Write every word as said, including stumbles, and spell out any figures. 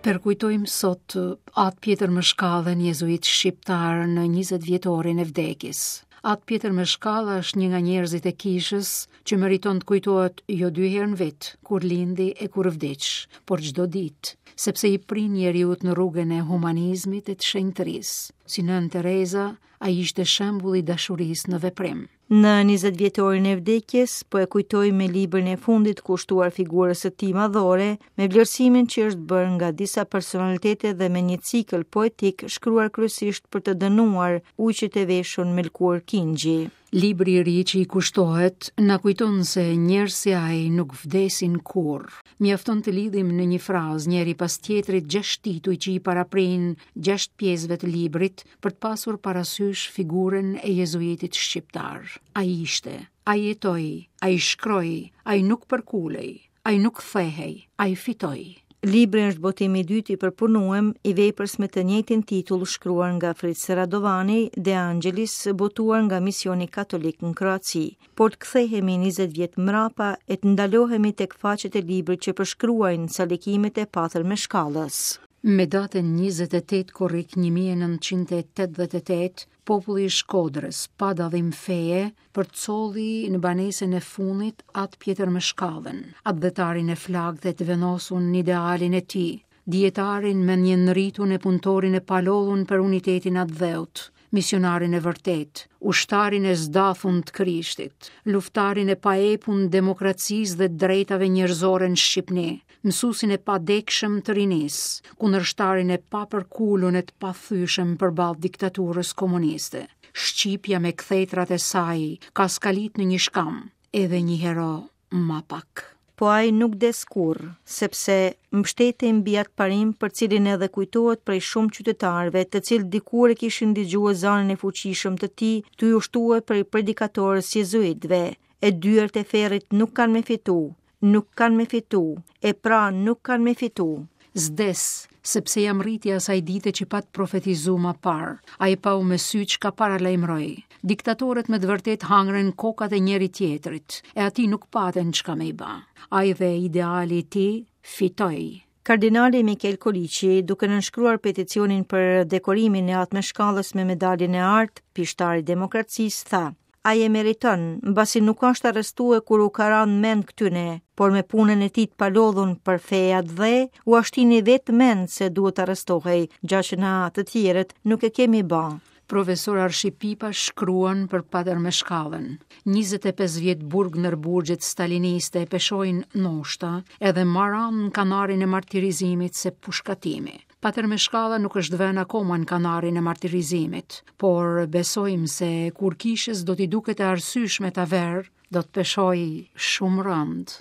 Përkujtojmë sot Atë Pjetër Mëshkallën, jezuit shqiptar, në njëzet vjetorin e vdekjes. Atë Pjetër Mëshkalla është një nga njerëzit e kishës që meriton të kujtohet jo dy herë në vit, kur lindi e kur vdiq, por çdo ditë, sepse i prin njeriut në rrugën e humanizmit e të shenjtërisë. Si Nënë Tereza, ai ishte shembulli i dashurisë në veprim. Në njëzet vjetorin e vdekjes, po e kujtoj me librin e fundit kushtuar figurës së tij madhore, me vlerësimin që është bërë nga disa personalitete dhe me një cikël poetik shkruar kryesisht për të dënuar ujqit e veshur me lëkurë kingji. Libri i ri që i kushtohet na kujton se njerëz si ai nuk vdesin kurrë. Mjafton të lidhim në një frazë njëri pas tjetrit gjashtë tituj që i paraprin gjashtë pjesëve të librit për të pasur parasysh figurën e jezuitit shqiptar. Ai ishte, ai jetoi, ai shkroi, ai nuk përkulej, ai nuk thehej, ai fitoi. Libri është botimi i dytë i përpunuar i veprës me të njëjtin titull shkruar nga Fritz Radovani, De Angelis, botuar nga Misioni Katolik në Kroaci. Por të kthehemi njëzet vjet mbrapa e të ndalohemi tek faqet e librit që përshkruajnë salikimet e Patër Meshkallës. Me datën njëzet e tetë korrik një mijë e nëntëqind e tetëdhjetë e tetë, populli i Shkodrës, pa dallim feje, përcolli në banesën e fundit Atë Pjetër Meshkallën, atdhetarin e flaktë dhe të vendosur në idealin e tij, dijetarin me një nritun e punëtorin e palollun për unitetin atdheut, misionarin e vërtet, ushtarin e zdathun të Krishtit, luftarin e paepun demokracisë dhe drejtave njerëzore në Shqipëni, mësuesin e padekshëm të rinisë, kundërshtarin e papërkulun e të pathyshëm përballë diktaturës komuniste. Shqipja me kthetrat e saj ka skalit në një shkam, edhe një hero ma pak. Po ai nuk des kurrë, sepse mbështetej mbi atë parim për cilin edhe kujtohet prej shumë qytetarëve, të cilët dikur e kishin dëgjuar zanin e fuqishëm të tij, tu ju shtue prej predikatorës jezuitëve, e dyert e ferrit nuk kanë me fitu, nuk kanë me fitu, e pra nuk kanë me fitu. Zdes, sepse jam rriti asaj dite që pat profetizu ma parë, ai pau me sy që ka paralajmëroi. Diktatorët me të vërtet hangren kokat e njëri tjetrit, e ati nuk paten çka me i ba. Ai dhe ideali i tij fitoi. Kardinali Mikel Koliqi, duke nënshkruar peticionin për dekorimin e Atë Meshkallës me medaljen e artë, pishtari i demokracisë, tha: Ai e meriton, mbasi nuk është arrestue kur u ka ranë mend këtyne, por me punën e tij të palodhun për fe atdhe, u ashtini vetë mend se duhet arrestohej, gja që na të tjerët nuk e kemi ba. Profesor Arshi Pipa shkruan për Patër Meshkallën. njëzet e pesë vjet burg në burgjet staliniste e peshojnë noshta edhe ma rëndë në kanarin e martirizimit se pushkatimi. Patër Meshkalla nuk është vënë akoma në kanarin e martirizimit, por besojmë se kur kishës do t'i duket e arsyeshme ta verë, do të peshojë shumë rëndë.